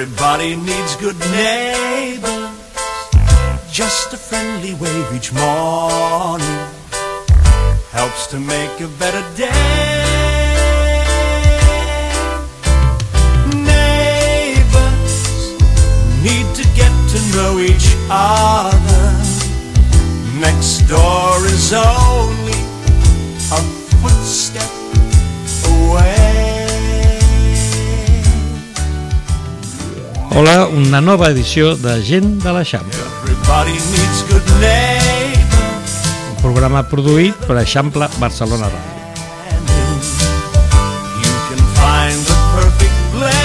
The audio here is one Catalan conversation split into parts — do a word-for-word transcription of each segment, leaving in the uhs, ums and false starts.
Everybody needs good neighbors. Just a friendly wave each morning helps to make a better day. Neighbors need to get to know each other. Next door is only a footstep away. Hola, una nova edició de Gent de l'Eixample. Everybody needs good neighbors. Un programa produït per Eixample Barcelona Ràdio. You can find the perfect blend.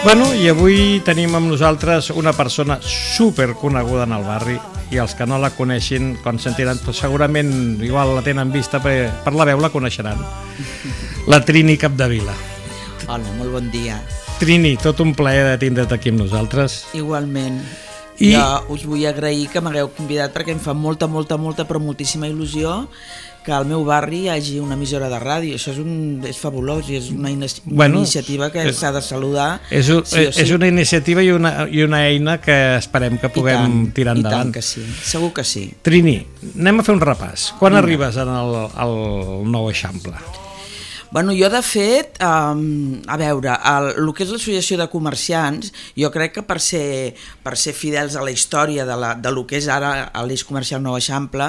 Bueno, i avui tenim amb nosaltres una persona super coneguda en el barri, i els que no la coneixin, quan sentiran, segurament igual la tenen vista, per, per la veu la coneixeran. La Trini Capdevila. Hola, molt bon dia. Trini, tot un plaer de tindre't aquí amb nosaltres. Igualment. I... Jo us vull agrair que m'hagueu convidat perquè em fa molta, molta, molta, però moltíssima il·lusió que al meu barri hi hagi una emissora de ràdio. Això és, un, és fabulós i és una, in una bueno, iniciativa que s'ha de saludar. És, un, sí sí. és una iniciativa i una, i una eina que esperem que puguem tant, tirar endavant. I tant que sí, segur que sí. Trini, anem a fer un repàs. Quan Vinga. arribes al, al nou Eixample? Bueno, jo de fet, um, a veure, el, el que és l'associació de comerciants, jo crec que per ser, per ser fidels a la història de, la, de lo que és ara l'Eix Comercial Nou Eixample,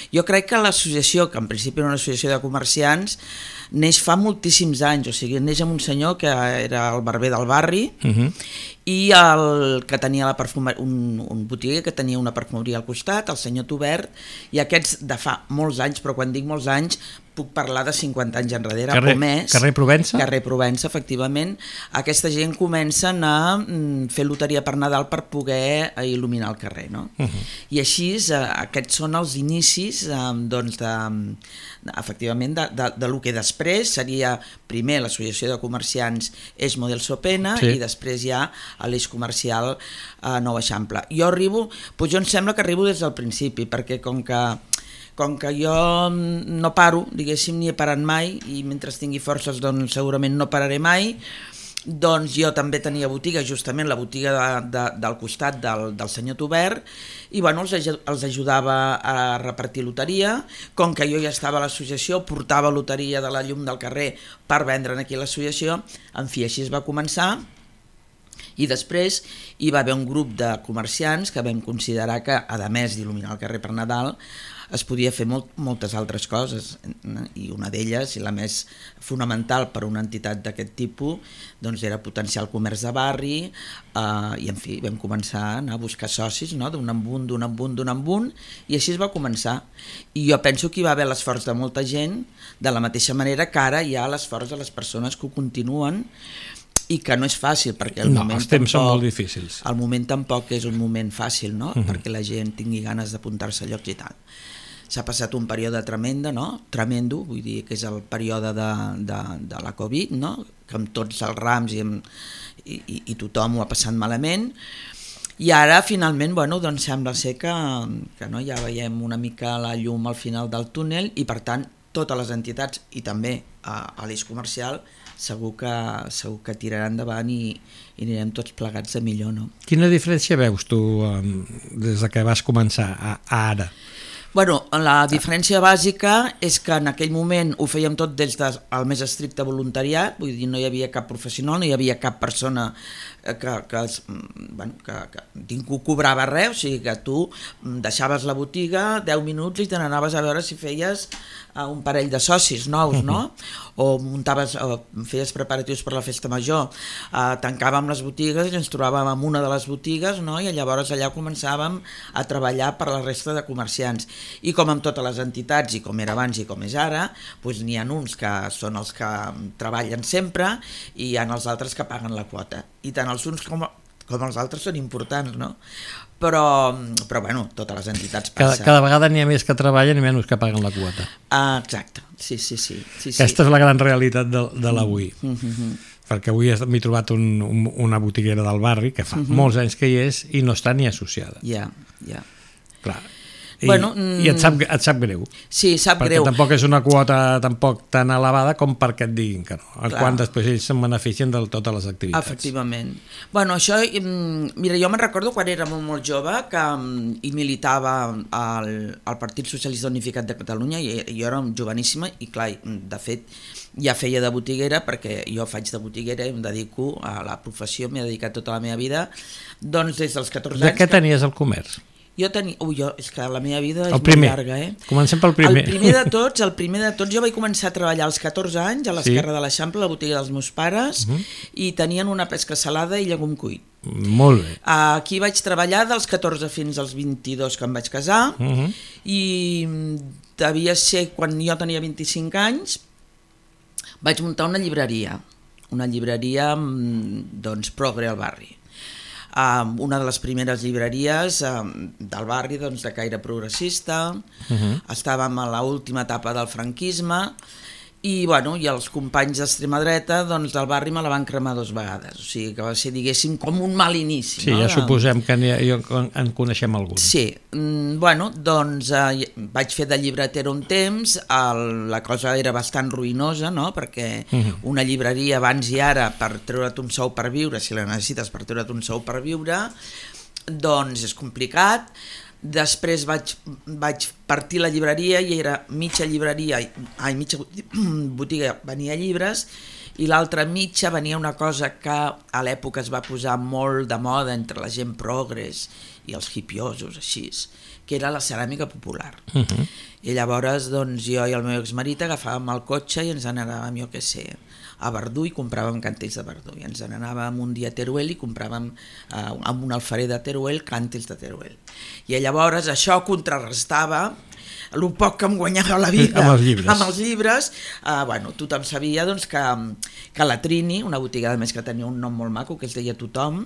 jo crec que l'associació, que en principi era una associació de comerciants, neix fa moltíssims anys, o sigui, neix amb un senyor que era el barber del barri, uh-huh. i el que tenia la perfumeria, un, un botiguer que tenia una perfumeria al costat, el senyor Tubert, i aquests de fa molts anys, però quan dic molts anys, puc parlar de cinquanta anys enrere carrer, o més. Carrer Provença? Carrer Provença, efectivament. Aquesta gent comencen a fer loteria per Nadal per poder il·luminar el carrer, no? Uh-huh. I així, aquests són els inicis, doncs, de, efectivament, de, de, de lo que després seria primer l'associació de comerciants Eix Model Sopena, sí. i després ja a l'Eix Comercial eh, Nou Eixample. Jo arribo, doncs jo em sembla que arribo des del principi, perquè com que com que jo no paro, diguéssim, ni he parat mai, i mentre tingui forces doncs segurament no pararé mai, doncs jo també tenia botiga, justament la botiga de, de, del costat del, del senyor Tubert, i bueno, els, els ajudava a repartir loteria. Com que jo ja estava a l'associació, portava loteria de la llum del carrer per vendre'n aquí a l'associació, en fi, així es va començar. I després hi va haver un grup de comerciants que vam considerar que, a més d'il·luminar el carrer per Nadal, es podia fer molt, moltes altres coses, i una d'elles, i la més fonamental per a una entitat d'aquest tipus, doncs era potenciar el comerç de barri, eh, i en fi, vam començar a anar a buscar socis, no? d'un en un, d'un en un, d'un en un, i així es va començar. I jo penso que hi va haver l'esforç de molta gent, de la mateixa manera que ara hi ha l'esforç de les persones que ho continuen, i que no és fàcil, perquè el no, moment els temps tampoc, són molt difícils. El moment tampoc és un moment fàcil, no? Uh-huh. Perquè la gent tingui ganes d'apuntar-se a llocs i tal. S'ha passat un període tremenda, no? Tremendo, vull dir que és el període de, de, de la Covid, no? Que amb tots els rams i, amb, i, i, i tothom ho ha passat malament, i ara finalment, bueno, doncs sembla ser que, que no, ja veiem una mica la llum al final del túnel, i per tant totes les entitats, i també a, a l'Eix Comercial, segur que, segur que tirarà endavant i, i anirem tots plegats de millor, no? Quina diferència veus tu um, des que vas començar a, a ara? Bueno, la diferència bàsica és que en aquell moment ho fèiem tot des del més estricte voluntariat, vull dir, no hi havia cap professional, no hi havia cap persona que, que, bueno, que, que ningú cobrava res, o sigui que tu deixaves la botiga deu minuts i te n'anaves a veure si feies un parell de socis nous, no? O muntaves, o feies preparatius per la festa major, uh, tancàvem les botigues i ens trobàvem en una de les botigues, no? I llavors allà començàvem a treballar per la resta de comerciants. I com amb totes les entitats, i com era abans i com és ara, doncs n'hi ha uns que són els que treballen sempre i hi ha els altres que paguen la quota. I tant els uns com, com els altres són importants, no? Però, però bueno, totes les entitats passen. Cada, cada vegada n'hi ha més que treballen i menys que paguen la quota. Ah, exacte, sí, sí, sí. sí, sí. Aquesta és la gran realitat de, de l'avui. Mm-hmm. Perquè avui m'he trobat un, un, una botiguera del barri que fa mm-hmm. molts anys que hi és i no està ni associada. Ja, ja. Clar. I, bueno, i et, sap, et sap greu. Sí, sap perquè greu. Perquè tampoc és una quota tampoc tan elevada com perquè et diguin que no. Clar. Quan després ells se'n beneficien de totes les activitats. Efectivament. Bueno, això, mira, jo me'n recordo quan era molt, molt jove que hi militava al, al Partit Socialista Unificat de Catalunya i jo era joveníssima i clar, de fet ja feia de botiguera perquè jo faig de botiguera i em dedico a la professió, m'he dedicat tota la meva vida, doncs des dels catorze anys... De què que... tenies el comerç? Jo tenia... Ui, jo, és que la meva vida és el primer. molt llarga, eh? Comencem pel primer. El primer de tots, el primer de tots, jo vaig començar a treballar als catorze anys a l'esquerra sí. de l'Eixample, a la botiga dels meus pares, uh -huh. i tenien una pesca salada i llegum cuit. Molt bé. Aquí vaig treballar dels catorze fins als vint-i-dos que em vaig casar, uh -huh. i devia ser quan jo tenia vint-i-cinc anys, vaig muntar una llibreria, una llibreria, doncs, progre al barri. Um, una de les primeres llibreries um, del barri, doncs, de caire progressista, uh-huh. estàvem a l'última etapa del franquisme i, bueno, i els companys d'extrema dreta doncs, del barri me la van cremar dues vegades, o sigui que va ser, diguéssim, com un mal inici. Sí, no? Ja suposem que en, en coneixem algun. Sí, mm, bueno, doncs eh, vaig fer de llibretera un temps, el, la cosa era bastant ruïnosa, no? Perquè uh-huh. una llibreria abans i ara per treure't un sou per viure, si la necessites per treure't un sou per viure, doncs és complicat. Després vaig, vaig partir la llibreria i era mitja llibreria, ai, mitja botiga venia llibres i l'altra mitja venia una cosa que a l'època es va posar molt de moda entre la gent progres i els hipiosos, així, que era la ceràmica popular. Uh-huh. I llavors doncs, jo i el meu exmarit agafàvem el cotxe i ens n'anàvem, jo què sé, a Verdú i compràvem cantells de Verdú. I ens n'anàvem un dia a Teruel i compràvem eh, amb un alfarer de Teruel cantells de Teruel. I llavors això contrarrestava el poc que em guanyava la vida amb els llibres, amb els llibres eh, bueno, tothom sabia doncs, que, que la Trini, una botiga de més que tenia un nom molt maco que es deia Tothom,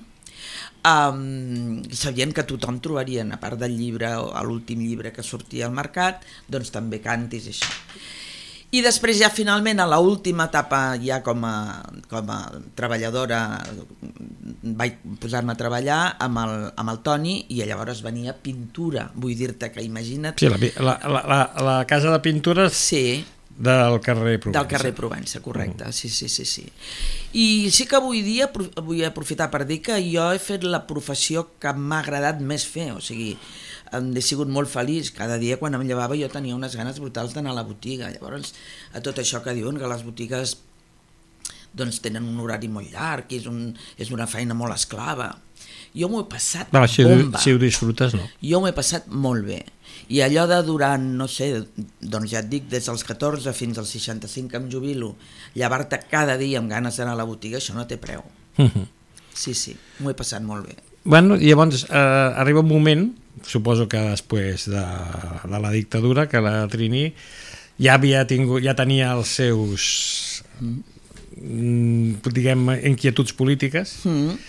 Um, sabien que tothom trobarien, a part del llibre o l'últim llibre que sortia al mercat, doncs també cantis i això. I després ja finalment a l'última etapa ja com a, com a treballadora vaig posar-me a treballar amb el, amb el Toni i llavors venia pintura, vull dir-te que imagina't... Sí, la, la, la, la casa de pintures... Sí. Del carrer Provença. Del carrer Provença, correcte, mm. sí, sí, sí, sí. I sí que avui dia vull aprofitar per dir que jo he fet la professió que m'ha agradat més fer, o sigui, he sigut molt feliç, cada dia quan em llevava jo tenia unes ganes brutals d'anar a la botiga, llavors a tot això que diuen que les botigues doncs tenen un horari molt llarg, és, un, és una feina molt esclava, jo m'ho he passat no, si bomba. Ho, si ho disfrutes, no. Jo m'ho he passat molt bé. I allò de durant, no sé, doncs ja et dic, des dels catorze fins als seixanta-cinc que em jubilo, llevar-te cada dia amb ganes d'anar a la botiga, això no té preu. Uh-huh. Sí, sí, m'ho he passat molt bé. Bueno, i llavors eh, arriba un moment, suposo que després de, de la dictadura, que la Trini ja havia tingut, ja tenia els seus, mm. diguem, inquietuds polítiques. Mm.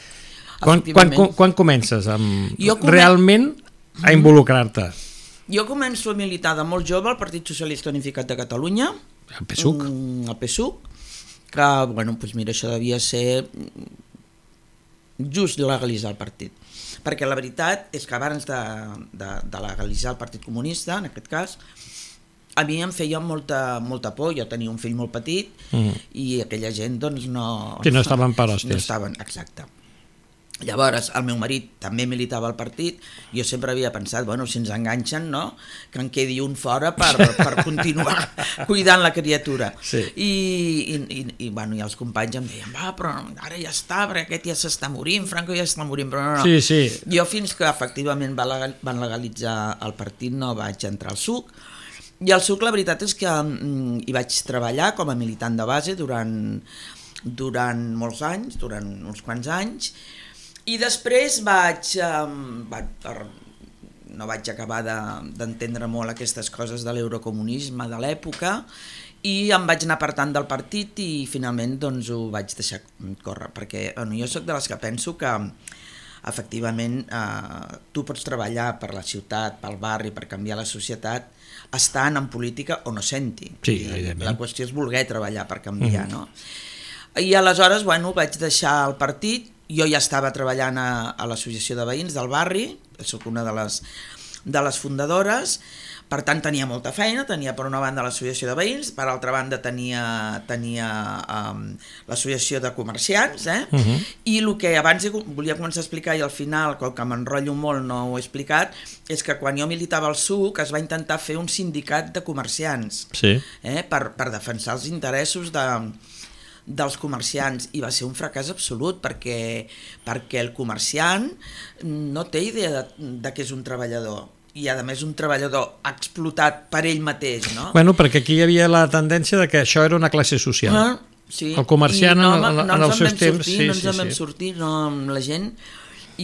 Quan, quan, quan comences amb, comen... realment a involucrar-te? Jo començo a militar de molt jove al Partit Socialista Unificat de Catalunya, el P S U C, el P S U C, que, bueno, doncs mira, això devia ser just legalitzar el partit, perquè la veritat és que abans de, de, de legalitzar el Partit Comunista, en aquest cas, a mi em feia molta, molta por, jo tenia un fill molt petit mm. i aquella gent doncs no... Sí, no estaven per hòsties. No estaven, exacte. Llavors, el meu marit també militava al partit, jo sempre havia pensat, bueno, si ens enganxen, no?, que en quedi un fora per, per continuar cuidant la criatura. Sí. I, i, i, i, bueno, i els companys em deien, va, però ara ja està, perquè aquest ja s'està morint, Franco ja està morint, però no, no. Sí, sí. Jo fins que efectivament van legalitzar el partit no vaig entrar al S U C, i al S U C la veritat és que mm, hi vaig treballar com a militant de base durant, durant molts anys, durant uns quants anys, i després vaig, um, vaig no vaig acabar d'entendre de, molt aquestes coses de l'eurocomunisme de l'època i em vaig anar apartant del partit i finalment doncs, ho vaig deixar córrer, perquè bueno, jo sóc de les que penso que efectivament eh, tu pots treballar per la ciutat, pel barri, per canviar la societat, estant en política o no senti. Sí, la qüestió és voler treballar per canviar, mm-hmm. no? I aleshores, bueno, vaig deixar el partit. Jo ja estava treballant a, a l'associació de veïns del barri, soc una de les, de les fundadores. Per tant, tenia molta feina, tenia per una banda l'associació de veïns, per altra banda tenia, tenia um, l'associació de comerciants, eh? Uh-huh. I el que abans volia començar a explicar i al final, com que m'enrotllo molt no ho he explicat, és que quan jo militava al S U C es va intentar fer un sindicat de comerciants, sí. eh? per, per defensar els interessos de, dels comerciants, i va ser un fracàs absolut perquè, perquè el comerciant no té idea de, de què és un treballador, i a més un treballador explotat per ell mateix, no? Bueno, perquè aquí hi havia la tendència de que això era una classe social. Ah, sí. El comerciant no, en, en, no en els seus temps... Sortir, sí, no ens sí, en vam sí. sortir, no amb la gent,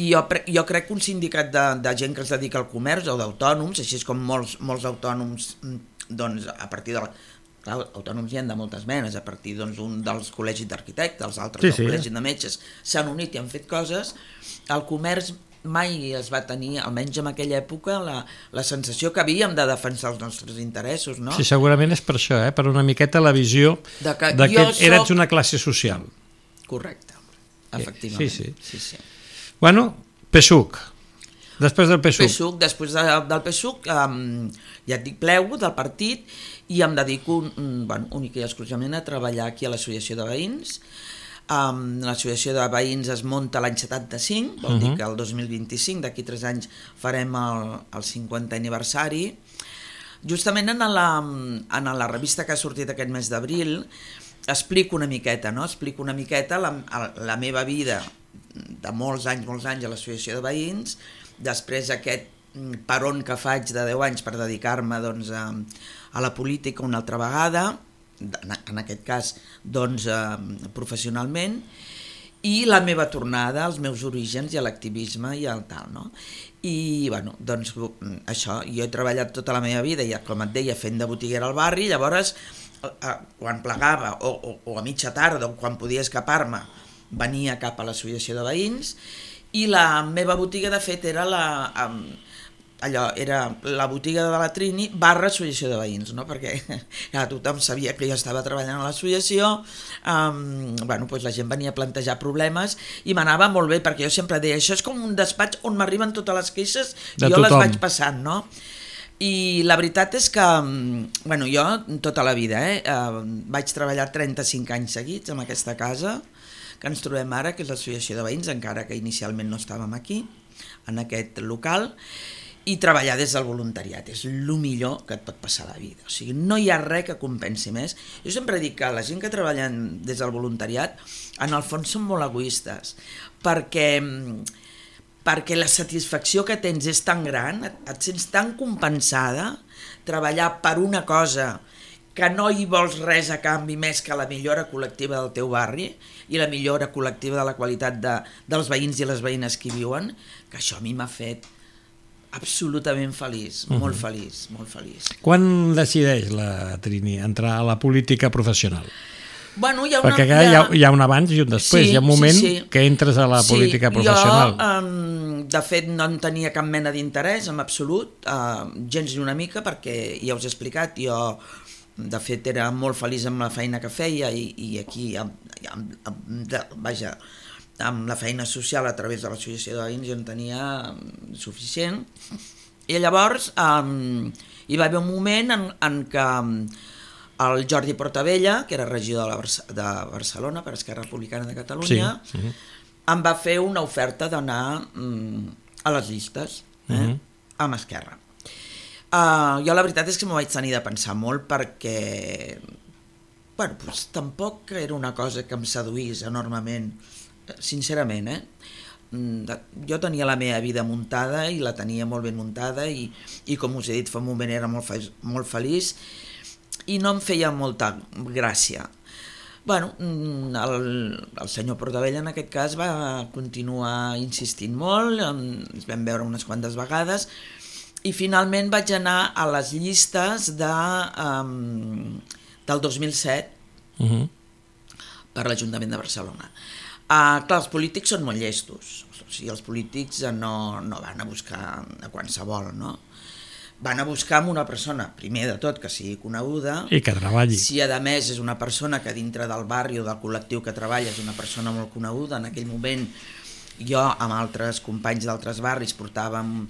i jo, jo crec que un sindicat de, de gent que es dedica al comerç o d'autònoms, així és com molts, molts autònoms, doncs a partir de la... Clar, autònoms hi ha de moltes menes, a partir doncs, un dels col·legis d'arquitectes, els altres sí, del sí. col·legi de metges, s'han unit i han fet coses. El comerç mai es va tenir, almenys en aquella època, la, la sensació que havíem de defensar els nostres interessos, no? Sí, segurament és per això, eh? Per una miqueta la visió de que, de que soc... eres una classe social. Correcte, efectivament. Sí, sí. sí, sí. Bueno, P S U C. Després del P S U C. P S U C, després de, del P S U C, um, ja et dic, plego del partit i em dedico um, bueno, únic i exclusivament a treballar aquí a l'Associació de Veïns. Um, l'associació de veïns es munta l'any setanta-cinc, vol uh-huh. dir que el dos mil vint-i-cinc, d'aquí tres anys, farem el, el cinquantè aniversari. Justament en la, en la revista que ha sortit aquest mes d'abril explico una miqueta, no? Explico una miqueta la, la meva vida de molts anys, molts anys a l'associació de veïns, després aquest peron que faig de deu anys per dedicar-me doncs, a, a la política una altra vegada, en aquest cas doncs, eh, professionalment, i la meva tornada als meus orígens i a l'activisme i al tal, no? I bueno, doncs això, jo he treballat tota la meva vida, ja, com et deia, fent de botiguera al barri, llavors eh, quan plegava o, o, o a mitja tarda o quan podia escapar-me venia cap a l'associació de veïns, i la meva botiga de fet era la... Eh, allò era la botiga de la Trini barra associació de veïns, no? Perquè ja, tothom sabia que jo estava treballant a l'associació, um, bueno, doncs la gent venia a plantejar problemes i m'anava molt bé, perquè jo sempre deia, això és com un despatx on m'arriben totes les queixes i jo les vaig passant, no? I la veritat és que, bueno, jo tota la vida, eh, uh, vaig treballar trenta-cinc anys seguits en aquesta casa que ens trobem ara, que és l'associació de veïns, encara que inicialment no estàvem aquí, en aquest local, i treballar des del voluntariat és el millor que et pot passar a la vida, o sigui, no hi ha res que compensi més. Jo sempre dic que la gent que treballen des del voluntariat en el fons són molt egoistes, perquè, perquè la satisfacció que tens és tan gran, et, et sents tan compensada, treballar per una cosa que no hi vols res a canvi més que la millora col·lectiva del teu barri i la millora col·lectiva de la qualitat de, dels veïns i les veïnes que hi viuen, que això a mi m'ha fet absolutament feliç, uh-huh. molt feliç, molt feliç. Quan decideix la Trini entrar a la política professional? Bueno, hi ha una, perquè hi ha, hi ha un abans i un després, sí, hi ha un moment sí, sí. que entres a la sí, política professional. Jo, um, de fet, no en tenia cap mena d'interès, en absolut, uh, gens ni una mica, perquè ja us he explicat, jo de fet era molt feliç amb la feina que feia i, i aquí, amb, amb, amb, vaja, amb la feina social a través de l'associació de veïns jo en tenia suficient, i llavors um, hi va haver un moment en, en què el Jordi Portabella, que era regidor de, la, de Barcelona per Esquerra Republicana de Catalunya, sí. uh-huh. em va fer una oferta d'anar um, a les llistes, eh, uh-huh. amb Esquerra. Uh, jo la veritat és que m'ho vaig tenir de pensar molt perquè bueno, doncs, tampoc era una cosa que em seduís enormement, sincerament, eh? Jo tenia la meva vida muntada i la tenia molt ben muntada i, i com us he dit fa un moment era molt, fe, molt feliç i no em feia molta gràcia. Bueno, el, el senyor Portabella en aquest cas va continuar insistint molt, ens vam veure unes quantes vegades i finalment vaig anar a les llistes de, um, del dos mil set uh-huh. per l'Ajuntament de Barcelona. Uh, clar, els polítics són molt llestos, o sigui, els polítics no, no van a buscar a qualsevol, no? Van a buscar amb una persona, primer de tot, que sigui coneguda, i que treballi. Si a més és una persona que dintre del barri o del col·lectiu que treballa és una persona molt coneguda, en aquell moment jo amb altres companys d'altres barris portàvem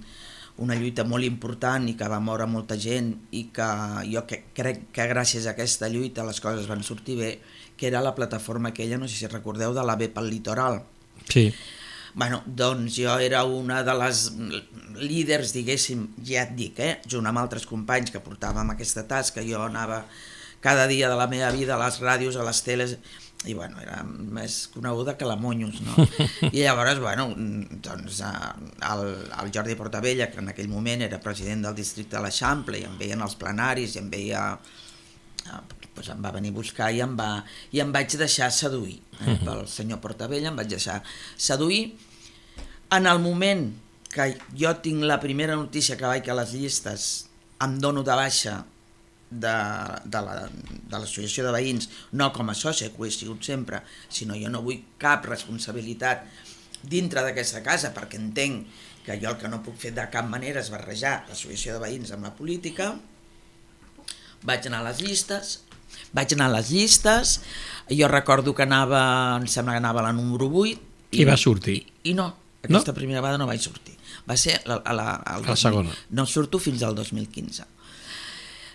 una lluita molt important i que va moure molta gent i que jo que, crec que gràcies a aquesta lluita les coses van sortir bé, que era la plataforma aquella, no sé si recordeu, de la B pel litoral. Sí. Bueno, doncs jo era una de les líders, diguéssim, ja et dic, eh, junt amb altres companys que portàvem aquesta tasca, jo anava cada dia de la meva vida a les ràdios, a les teles, i bueno, era més coneguda que la Monyos, no? I llavors, bueno, doncs el, el Jordi Portabella, que en aquell moment era president del districte de l'Eixample, i em veien els plenaris, i em veia... Doncs em va venir a buscar i em, va, i em vaig deixar seduir eh, pel senyor Portabella, em vaig deixar seduir. En el moment que jo tinc la primera notícia que vaig a les llistes, em dono de baixa de, de la, de l'associació de veïns, no com a sòcia, que ho he sigut sempre, sinó jo no vull cap responsabilitat dintre d'aquesta casa, perquè entenc que jo el que no puc fer de cap manera és barrejar l'associació de veïns amb la política. Vaig anar a les llistes, vaig anar a les llistes, jo recordo que anava, em sembla que anava a la número vuit. I, I va sortir. I, i no, aquesta no? primera vegada no vaig sortir. Va ser la, a la, a la segona. No surto fins al dos mil quinze.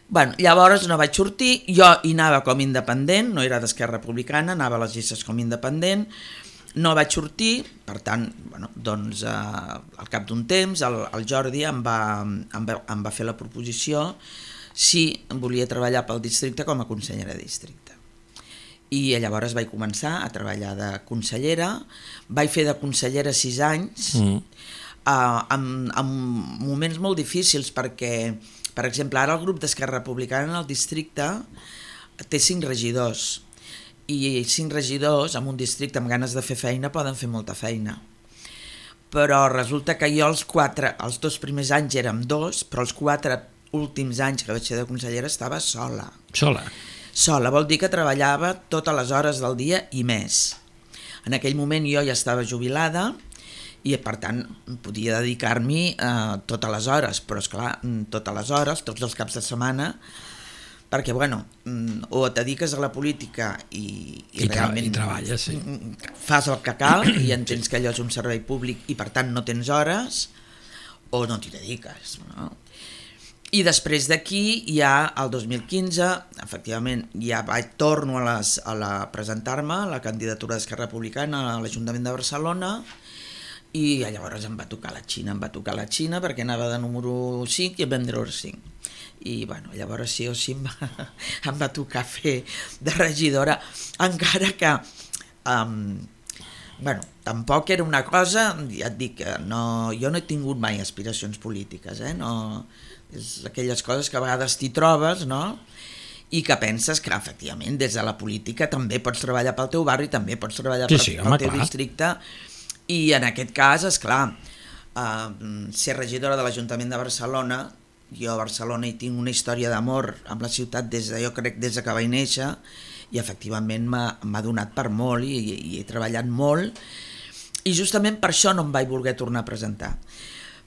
Bueno, llavors no vaig sortir, jo hi anava com independent, no era d'Esquerra Republicana, anava a les llistes com independent, no vaig sortir, per tant, bueno, doncs eh, al cap d'un temps el, el Jordi em va, em, va, em va fer la proposició si volia treballar pel districte com a consellera de districte. I llavors vaig començar a treballar de consellera, vaig fer de consellera sis anys, mm. eh, amb, amb moments molt difícils perquè, per exemple, ara el grup d'Esquerra Republicana en el districte té cinc regidors, i cinc regidors en un districte amb ganes de fer feina poden fer molta feina. Però resulta que jo els quatre, els dos primers anys érem dos, però els quatre últims anys que vaig ser de consellera estava sola. Sola? Sola, vol dir que treballava totes les hores del dia i més. En aquell moment jo ja estava jubilada i per tant podia dedicar-m'hi eh, totes les hores, però esclar, totes les hores, tots els caps de setmana, perquè bueno, o et dediques a la política i, i, I, tra realment i treballes, sí. Fas el que cal i entens que allò és un servei públic i per tant no tens hores, o no t'hi dediques, no? I després d'aquí, ja el dos mil quinze, efectivament, ja vaig, torno a, les, a la, presentar-me a la candidatura d'Esquerra Republicana a l'Ajuntament de Barcelona i llavors em va tocar la Xina, em va tocar la Xina perquè anava de número cinc i em vam treure cinc. I bueno, llavors sí o sí em va, em va tocar fer de regidora, encara que um, bueno, tampoc era una cosa, ja et dic, no, jo no he tingut mai aspiracions polítiques, eh? No, és aquelles coses que a vegades t'hi trobes, no? I que penses que efectivament des de la política també pots treballar pel teu barri, també pots treballar sí, sí, pel home, teu clar. districte, i en aquest cas, esclar, uh, ser regidora de l'Ajuntament de Barcelona, jo a Barcelona hi tinc una història d'amor amb la ciutat des de, jo crec, des de que vaig néixer, i efectivament m'ha donat per molt i, i he treballat molt, i justament per això no em vaig voler tornar a presentar.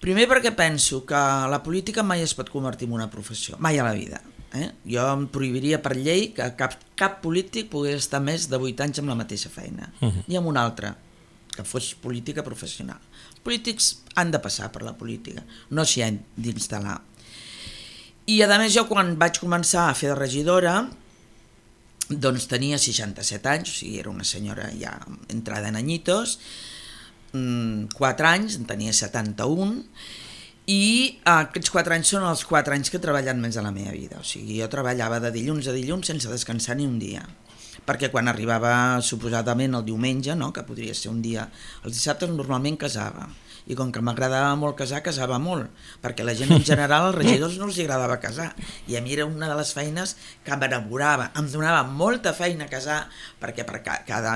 Primer perquè penso que la política mai es pot convertir en una professió, mai a la vida. Eh? Jo em prohibiria per llei que cap, cap polític pogués estar més de vuit anys amb la mateixa feina, uh-huh. ni amb una altra, que fos política professional. Els polítics han de passar per la política, no s'hi han d'instal·lar. I a més jo quan vaig començar a fer de regidora, doncs tenia seixanta-set anys, o sigui, era una senyora ja entrada en anyitos, quatre anys, en tenia setanta-un, i aquests quatre anys són els quatre anys que he treballat més a la meva vida. O sigui, jo treballava de dilluns a dilluns sense descansar ni un dia, perquè quan arribava suposadament el diumenge, no, que podria ser un dia, els dissabtes normalment casava, i com que m'agradava molt casar, casava molt, perquè la gent en general, als regidors no els agradava casar, i a mi era una de les feines que m'enamorava, em donava molta feina a casar, perquè per cada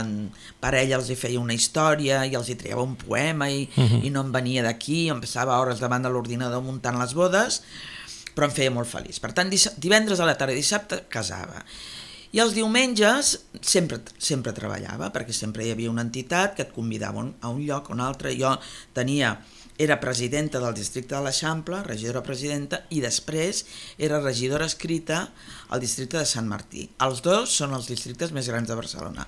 parella els hi feia una història, i els hi traiava un poema, i, uh-huh. i no em venia d'aquí, em passava hores davant de l'ordinador muntant les bodes, però em feia molt feliç. Per tant, divendres a la tarda i dissabte casava. I els diumenges sempre, sempre treballava, perquè sempre hi havia una entitat que et convidava a un lloc o un altre. Jo tenia, era presidenta del districte de l'Eixample, regidora presidenta, i després era regidora escrita al districte de Sant Martí. Els dos són els districtes més grans de Barcelona.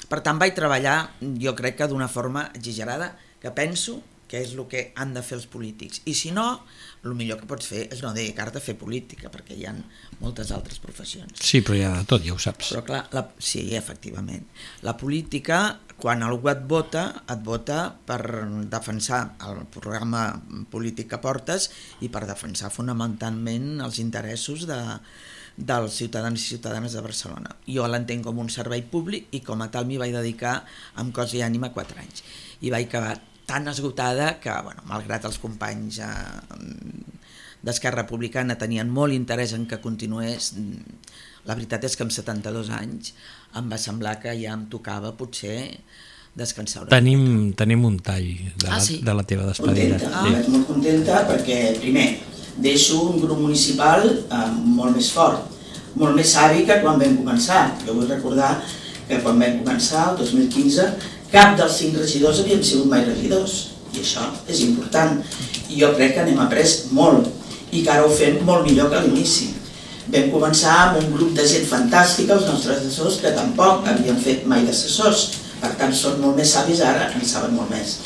Per tant, vaig treballar, jo crec que d'una forma exagerada, que penso que és el que han de fer els polítics. I si no, el millor que pots fer és no dedicar-te a fer política, perquè hi ha moltes altres professions. Sí, però hi ha de tot, ja ho saps. Però clar, la, sí, efectivament. La política, quan algú et vota, et vota per defensar el programa polític que portes i per defensar fonamentalment els interessos de, dels ciutadans i ciutadanes de Barcelona. Jo l'entenc com un servei públic i com a tal m'hi vaig dedicar amb cos i ànima quatre anys. I vaig acabar tan esgotada que, bueno, malgrat els companys eh, d'Esquerra Republicana tenien molt interès en que continués, la veritat és que amb setanta-dos anys em va semblar que ja em tocava potser descansar una tenim, tenim un tall de la, ah, sí? de la teva despedida. Contenta, ah. Vaig molt contenta perquè, primer, deixo un grup municipal eh, molt més fort, molt més savi que quan vam començar. Jo vull recordar que quan vam començar, el dos mil quinze, cap dels cinc regidors havíem sigut mai regidors, i això és important. I jo crec que n'hem après molt, i que ara ho fem molt millor que a l'inici. Vam començar amb un grup de gent fantàstica, els nostres assessors, que tampoc havien fet mai d'assessors, per tant són molt més savis ara, en saben molt més.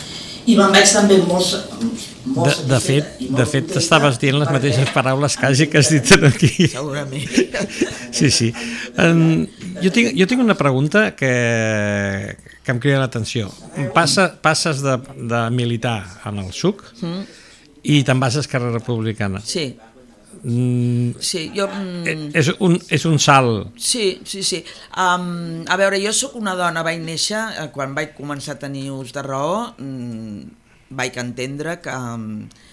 I me'n vaig també molt, molt de, de fet, de fet t'estaves dient les mateixes paraules quasi que has dit aquí. Segurament. Sí, sí. Um, jo, tinc, jo tinc una pregunta que, que em crida l'atenció. Passa, passes de, de militar en el S U C mm. i te'n vas a Esquerra Republicana. Sí. Mm, sí, jo... Mm, és, un, és un salt. Sí, sí, sí. Um, a veure, jo sóc una dona, vaig néixer, eh, quan vaig començar a tenir ús de raó, mm, vaig entendre que um,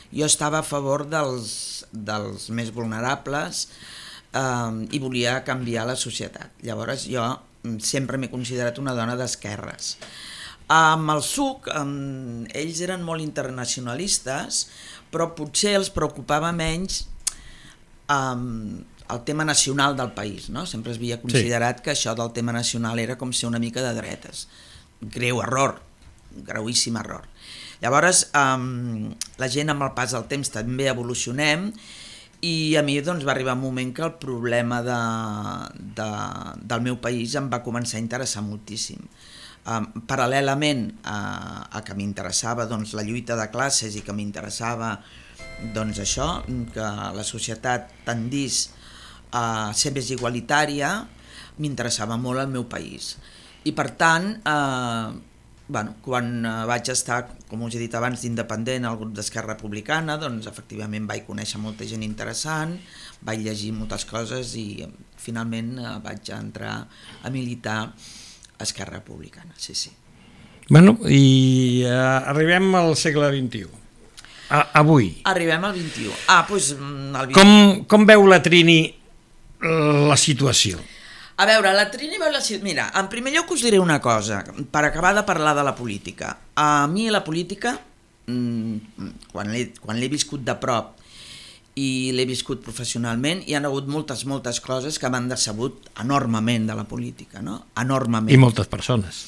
jo estava a favor dels, dels més vulnerables um, i volia canviar la societat. Llavors jo sempre m'he considerat una dona d'esquerres. Amb el S U C, um, ells eren molt internacionalistes, però potser els preocupava menys Um, el tema nacional del país, no? Sempre es havia considerat sí. que això del tema nacional era com ser una mica de dretes. Greu error, greuíssim error. Llavors, um, la gent amb el pas del temps també evolucionem i a mi doncs, va arribar un moment que el problema de, de, del meu país em va començar a interessar moltíssim. Um, paral·lelament a, a que m'interessava doncs, la lluita de classes i que m'interessava doncs això, que la societat tendís a ser més igualitària, m'interessava molt el meu país. I per tant, eh, bueno, quan vaig estar, com us he dit abans, d'independent al grup d'Esquerra Republicana, doncs efectivament vaig conèixer molta gent interessant, vaig llegir moltes coses i finalment eh, vaig entrar a militar a Esquerra Republicana, sí, sí. Bueno, i eh, arribem al segle vint-i-u. A, avui. Arribem al vint-i-u. Ah, doncs... El vint-i-u. Com, com veu la Trini la situació? A veure, la Trini veu la situació... Mira, en primer lloc us diré una cosa, per acabar de parlar de la política. A mi la política, quan l'he, quan l'he viscut de prop i l'he viscut professionalment, hi ha hagut moltes, moltes coses que m'han decebut enormement de la política, no? Enormement. I moltes persones.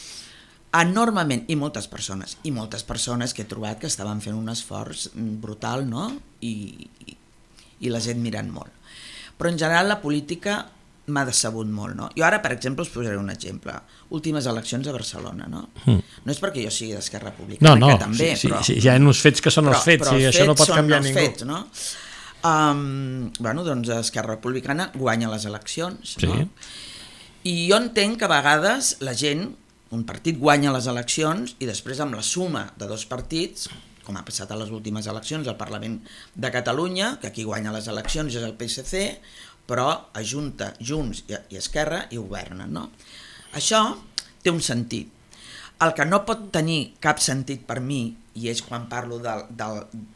Enormement, i moltes persones, i moltes persones que he trobat que estaven fent un esforç brutal, no? I, i, i la gent mirant molt. Però en general la política m'ha decebut molt, no? Jo ara, per exemple, us posaré un exemple. Últimes eleccions a Barcelona, no? Mm. No és perquè jo sigui d'Esquerra Republicana, no, no, que també, sí, però... Sí, sí, hi ha uns fets que són però, els fets, però i els això no pot són canviar els ningú. Fets, no? Um, bueno, doncs Esquerra Republicana guanya les eleccions, sí. No? I jo entenc que a vegades la gent, un partit guanya les eleccions i després amb la suma de dos partits, com ha passat a les últimes eleccions al Parlament de Catalunya, que aquí guanya les eleccions és el P S C, però ajunta Junts i Esquerra i governen, no? Això té un sentit. El que no pot tenir cap sentit per mi, i és quan parlo de, de,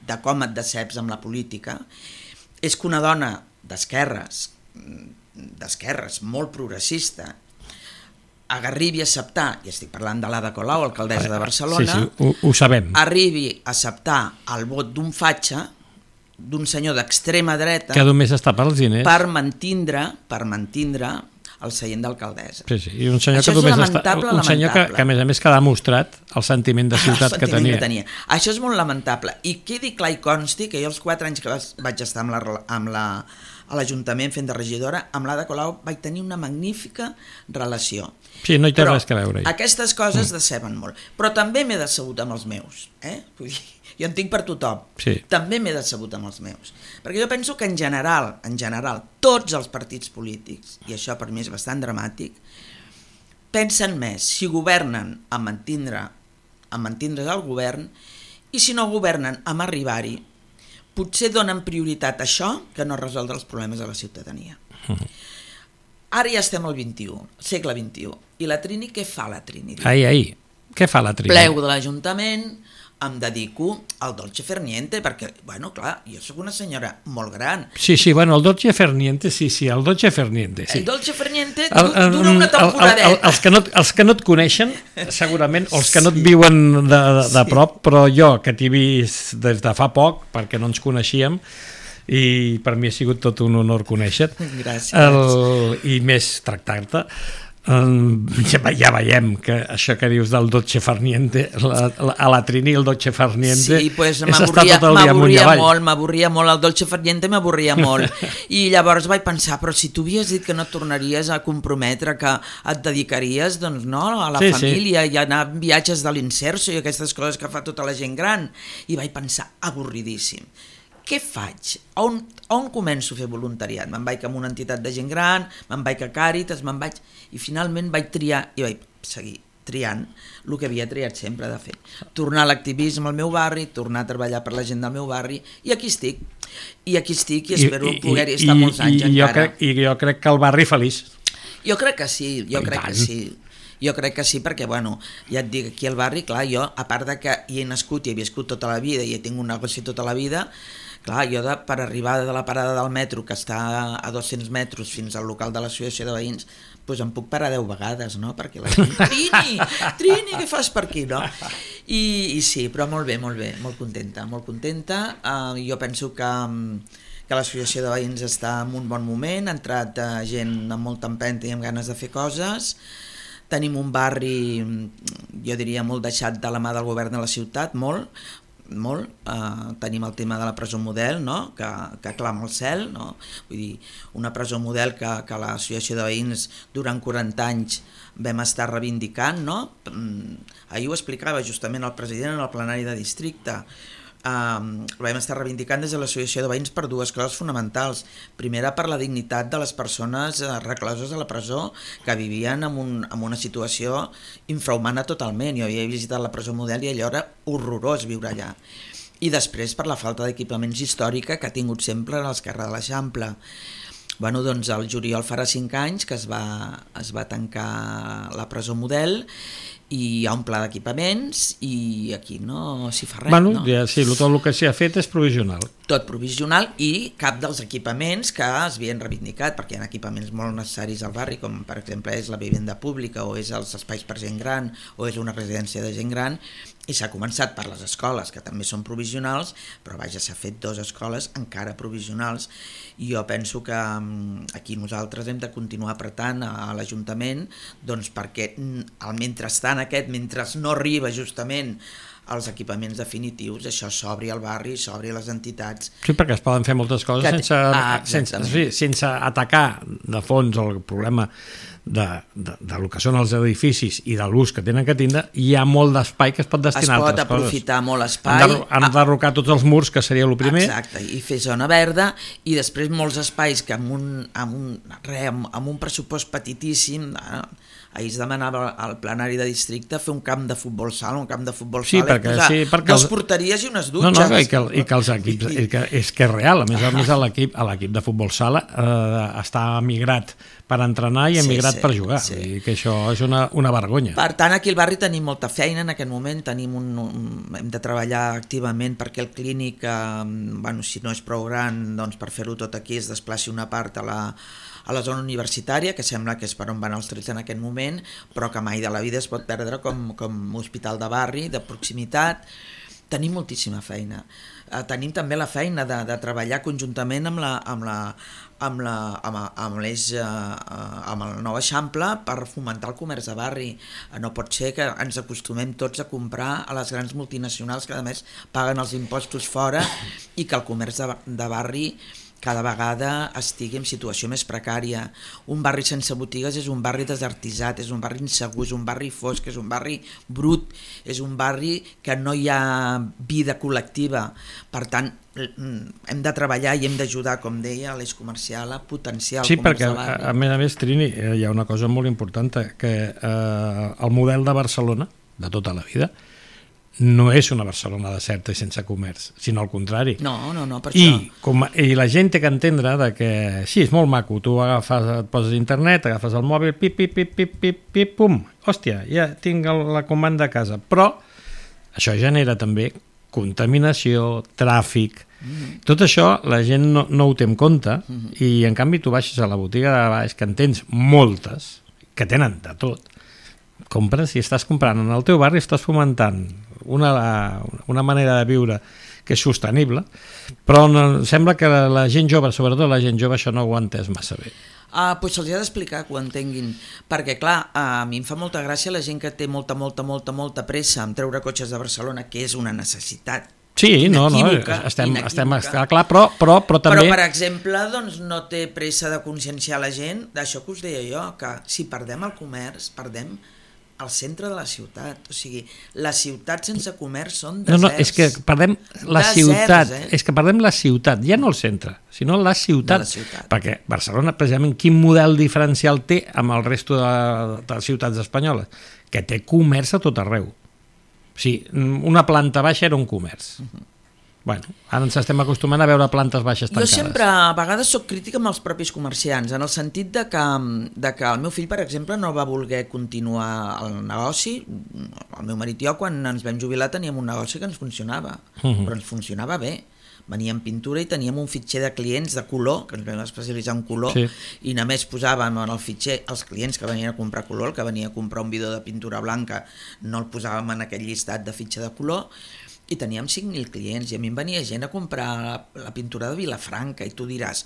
de com et deceps amb la política, és que una dona d'esquerres, d'esquerres molt progressista, arribi a acceptar, i estic parlant de l'Ada Colau, alcaldessa de Barcelona, sí, sí, ho, ho sabem. Arribi a acceptar el vot d'un fatxa, d'un senyor d'extrema dreta, que només està per als diners, per mantindre, per mantindre el seient d'alcaldessa. Sí, sí, i un senyor Això que només està, un senyor que, que a més a més que ha demostrat el sentiment de ciutat el que sentiment tenia. que tenia. Això és molt lamentable. I quedi clar i consti que jo els quatre anys que vaig estar amb la, amb la, a l'Ajuntament fent de regidora, amb l'Ada Colau vaig tenir una magnífica relació. Sí, no hi té Però res que veure. Aquestes coses mm. deceben molt. Però també m'he decebut amb els meus. Eh? Vull dir, jo en tinc per tothom. Sí. També m'he decebut amb els meus. Perquè jo penso que en general, en general, tots els partits polítics, i això per mi és bastant dramàtic, pensen més si governen a mantindre, a mantindre's al govern, i si no governen amb arribar-hi, potser donen prioritat a això que no resoldre els problemes de la ciutadania. Mm. Ara ja estem al vint-i-u, segle vint-i-u, i la Trini, què fa la Trini? Ai, ai, què fa la Trini? Plego de l'Ajuntament, em dedico al dolce far niente, perquè, bueno, clar, jo sóc una senyora molt gran. Sí, sí, bueno, el dolce far niente, sí, sí, el dolce far niente, sí. El dolce far niente dura una temporadeta. El, el, el, els, que no, els que no et coneixen, segurament, o els que no et viuen de, de, de prop, però jo, que t'he vist des de fa poc, perquè no ens coneixíem, i per mi ha sigut tot un honor conèixer-te. Gràcies. El, I més tractar-te. Um, ja, ja veiem que això que dius del dolce far niente, la, la, a la Trini el dolce far niente sí, pues, és estar tot el dia amunt i avall. Molt, m'avorria molt, el dolce far niente m'avorria molt. I llavors vaig pensar, però si tu havies dit que no et tornaries a comprometre, que et dedicaries, doncs no, a la sí, família sí. i anar a viatges de l'Inserso i aquestes coses que fa tota la gent gran. I vaig pensar, avorridíssim. Què faig? On, on començo a fer voluntariat? Me'n vaig a una entitat de gent gran, me'n vaig a Càritas, me'n vaig... I finalment vaig triar, i vaig seguir triant el que havia triat sempre de fer. Tornar a l'activisme al meu barri, tornar a treballar per la gent del meu barri, i aquí estic. I aquí estic i espero I, poder-hi estar i, molts anys i, encara. Jo crec, I jo crec que el barri feliç. Jo crec que sí, jo I crec tant. que sí. Jo crec que sí, perquè, bueno, ja et dic, aquí al barri, clar, jo, a part de que hi he nascut i he viscut tota la vida i he tingut un negoci tota la vida, clar, jo de, per arribar de la parada del metro, que està a dos-cents metres fins al local de l'associació de veïns, doncs em puc parar deu vegades, no? Perquè la gent, Trini, Trini, què fas per aquí, no? I, i sí, però molt bé, molt bé, molt contenta, molt contenta. Uh, jo penso que, que l'associació de veïns està en un bon moment, ha entrat uh, gent amb molta empenta i amb ganes de fer coses. Tenim un barri, jo diria, molt deixat de la mà del govern de la ciutat, molt, molt. Uh, tenim el tema de la presó model, no? que, que clama al cel, no? Vull dir, una presó model que, que l'associació de veïns durant quaranta anys vam estar reivindicant, no? Ahir ho explicava justament el president en el plenari de districte. Uh, vam estar reivindicant des de l'associació de veïns per dues coses fonamentals. Primera, per la dignitat de les persones uh, recloses a la presó, que vivien en, un, en una situació infrahumana totalment. Jo havia visitat la presó model i allò era horrorós viure allà. I després per la falta d'equipaments històrica que ha tingut sempre l'esquerra de l'Eixample. Bueno, doncs el juliol farà cinc anys que es va, es va tancar la presó model i hi ha un pla d'equipaments i aquí no s'hi fa res. Bueno, no? ja, sí, tot el que s'hi ha fet és provisional. Tot provisional i cap dels equipaments que es havien reivindicat, perquè hi ha equipaments molt necessaris al barri, com per exemple és la vivenda pública o és els espais per gent gran o és una residència de gent gran, i s'ha començat per les escoles, que també són provisionals, però vaja, s'ha fet dues escoles encara provisionals, i jo penso que aquí nosaltres hem de continuar apretant a l'Ajuntament, doncs perquè al mentrestant aquest, mentre no arriba justament als equipaments definitius, això s'obri al barri, s'obri a les entitats. Sí, perquè es poden fer moltes coses que... sense, ah, sense, sí, sense atacar de fons el problema de, de, de lo que són els edificis i de l'ús que tenen que tindre. Hi ha molt d'espai que es pot destinar a altres coses. Es pot aprofitar coses. Molt espai. Han, de, han d'arrocar tots els murs, que seria el primer. Exacte, i fer zona verda, i després molts espais que amb un, amb un, re, amb, amb un pressupost petitíssim, eh, ahir es demanava al plenari de districte fer un camp de futbol sala, un camp de futbol sí, sala, perquè, i posar sí, perquè dos els... porteries i unes dutxes. No, no, i que, i que els equips, i que, és que és real, a més a més l'equip a l'equip de futbol sala eh, està migrat per entrenar i emigrat sí, sí, per jugar, sí. I que això és una, una vergonya. Per tant, aquí al barri tenim molta feina en aquest moment, tenim un, un, hem de treballar activament perquè el clínic, eh, bueno, si no és prou gran, doncs per fer-ho tot aquí es desplaci una part a la, a la zona universitària, que sembla que és per on van els trets en aquest moment, però que mai de la vida es pot perdre com, com hospital de barri, de proximitat. Tenim moltíssima feina. Uh, tenim també la feina de, de treballar conjuntament amb la, amb la, amb la, amb, amb l'eix, uh, amb el nou Eixample per fomentar el comerç de barri. Uh, no pot ser que ens acostumem tots a comprar a les grans multinacionals que a més paguen els impostos fora i que el comerç de, de barri cada vegada estigui en situació més precària. Un barri sense botigues és un barri desertitzat, és un barri insegur, és un barri fosc, és un barri brut, és un barri que no hi ha vida col·lectiva. Per tant, hem de treballar i hem d'ajudar, com deia, a l'eix comercial, a potenciar el sí, comerç perquè, de barri. a més a més, Trini, hi ha una cosa molt important, que eh, el model de Barcelona, de tota la vida, no és una Barcelona deserta i sense comerç, sinó al contrari. No, no, no, per I, això. com, I la gent té que entendre de que sí, és molt maco, tu agafes, et poses a internet, agafes el mòbil, pip, pip, pip, pip, pip, pip, pum, hòstia, ja tinc el, la comanda a casa. Però això genera també contaminació, tràfic, mm-hmm. tot això la gent no, no ho té en compte, mm-hmm. i en canvi tu baixes a la botiga de baix, que en tens moltes, que tenen de tot, compres i estàs comprant en el teu barri, estàs fomentant una, una manera de viure que és sostenible, però no, sembla que la, la gent jove, sobretot la gent jove, això no ho ha entès massa bé. Ah, doncs se'ls ha d'explicar que ho entenguin, perquè clar, a mi em fa molta gràcia la gent que té molta, molta, molta, molta pressa en treure cotxes de Barcelona, que és una necessitat. Sí, no, no, estem, estem està clar, però, però, però també... Però, per exemple, doncs, no té pressa de conscienciar la gent d'això que us deia jo, que si perdem el comerç, perdem al centre de la ciutat, o sigui, les ciutats sense comerç són deserts. No, no, és que perdem la deserts, ciutat, eh? és que perdem la ciutat, ja no el centre, sinó la ciutat, la ciutat. Perquè Barcelona, precisament, quin model diferencial té amb el resto de, de les ciutats espanyoles? Que té comerç a tot arreu. O sigui, una planta baixa era un comerç. Uh-huh. Bueno, ara ens estem acostumant a veure plantes baixes tancades. Jo sempre, a vegades, soc crítica amb els propis comerciants, en el sentit de que, de que el meu fill, per exemple, no va voler continuar el negoci. El meu marit i jo, quan ens vam jubilar, teníem un negoci que ens funcionava, uh-huh. però ens funcionava bé. Veníem pintura i teníem un fitxer de clients de color, que ens vam especialitzar en color, sí. i només posàvem en el fitxer els clients que venien a comprar color, el que venia a comprar un bidó de pintura blanca, no el posàvem en aquell llistat de fitxer de color, i teníem cinc mil clients, i a mi em venia gent a comprar la, la pintura de Vilafranca, i tu diràs,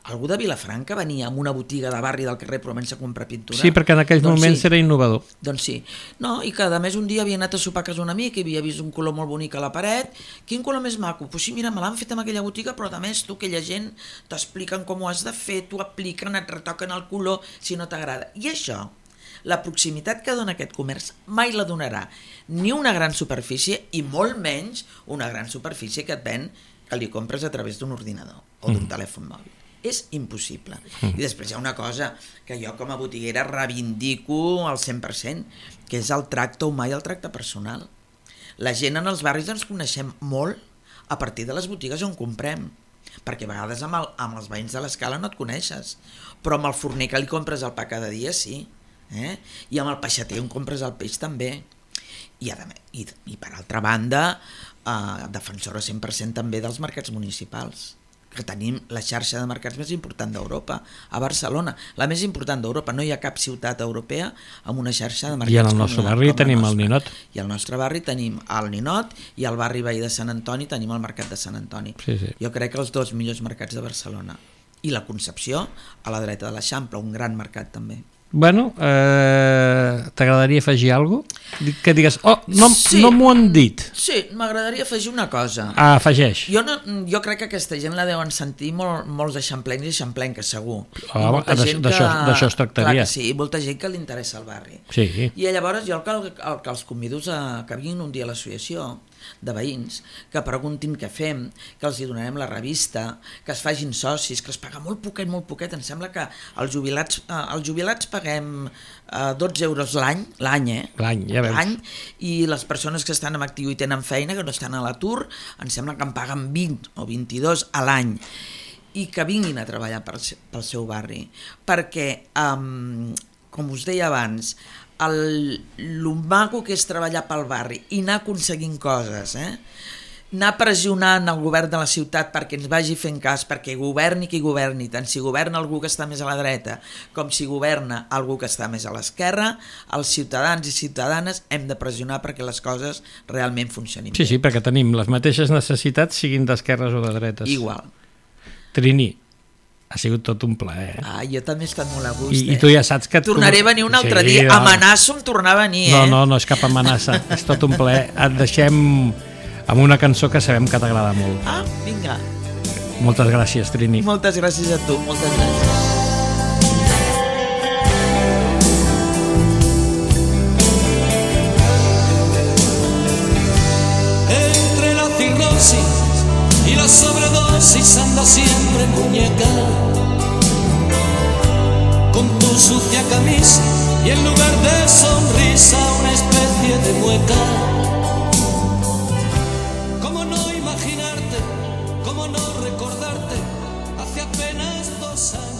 algú de Vilafranca venia a una botiga de barri del carrer Provença a comprar pintura? Sí, perquè en aquells doncs moments sí. Era innovador. Doncs sí. No, i que a més un dia havia anat a sopar a casa un amic i havia vist un color molt bonic a la paret. Quin color més maco? Pues sí, mira, me l'han fet en aquella botiga, però a més tu, aquella gent, t'expliquen com ho has de fer, t'ho apliquen, et retoquen el color si no t'agrada. I això, la proximitat que dona aquest comerç mai la donarà ni una gran superfície i molt menys una gran superfície que et ven que li compres a través d'un ordinador o d'un mm. telèfon mòbil. És impossible. Mm. I després hi ha una cosa que jo com a botiguera reivindico al cent per cent, que és el tracte humà i el tracte personal. La gent en els barris ens coneixem molt a partir de les botigues on comprem, perquè a vegades amb, el, amb els veïns de l'escala no et coneixes, però amb el forner que li compres el pa cada dia sí. Eh? I amb el peixater on compres el peix també, i, a, i, i per altra banda eh, defensora cent per cent també dels mercats municipals, que tenim la xarxa de mercats més important d'Europa a Barcelona, la més important d'Europa. No hi ha cap ciutat europea amb una xarxa de mercats. I en el nostre barri tenim el Ninot, i al nostre barri tenim el Ninot, i al barri veí de Sant Antoni tenim el mercat de Sant Antoni. Sí, sí. Jo crec que els dos millors mercats de Barcelona, i la Concepció a la dreta de l'Eixample, un gran mercat també. Bueno, eh, t'agradaria afegir alguna cosa? Que digues, oh, no, sí, no m'ho han dit. Sí, m'agradaria afegir una cosa. Ah, afegeix. Jo, no, jo crec que aquesta gent la deuen sentir molt, molts eixamplencs i eixamplenques, segur. Oh, d'això es tractaria. Clar que sí, i molta gent que li interessa el barri. Sí. I llavors jo el que, el que els convido a que vinguin un dia a l'associació de veïns, que preguntin què fem, que els hi donarem la revista, que es fagin socis, que es paga molt poquet, molt poquet. Em sembla que els jubilats, eh, els jubilats paguem eh, dotze euros l'any, l'any, eh? L'any, ja veus. L'any, i les persones que estan en actiu i tenen feina, que no estan a l'atur, em sembla que en paguen vint o vint-i-dos a l'any, i que vinguin a treballar pel, pel seu barri, perquè, um, com us deia abans, el, el maco que és treballar pel barri i anar aconseguint coses, eh? Anar pressionant el govern de la ciutat perquè ens vagi fent cas, perquè governi qui governi, tant si governa algú que està més a la dreta com si governa algú que està més a l'esquerra, els ciutadans i ciutadanes hem de pressionar perquè les coses realment funcionin sí, bé. Sí, perquè tenim les mateixes necessitats siguin d'esquerres o de dretes. Igual. Trini, ha sigut tot un plaer. Ah, jo també he estat molt a gust. I, eh? i tu ja saps que... Tornaré a venir un altre sí, dia. No. Amenaço amb tornar a venir, no, eh? No, no és cap amenaça. És tot un plaer. Et deixem amb una cançó que sabem que t'agrada molt. Ah, vinga. Moltes gràcies, Trini. Moltes gràcies a tu, moltes gràcies. Entre la cirrosis y la sobredosis anda siempre muñeca, con tu sucia camisa y en lugar de sonrisa una especie de mueca. ¿Cómo no imaginarte, cómo no recordarte hace apenas dos años?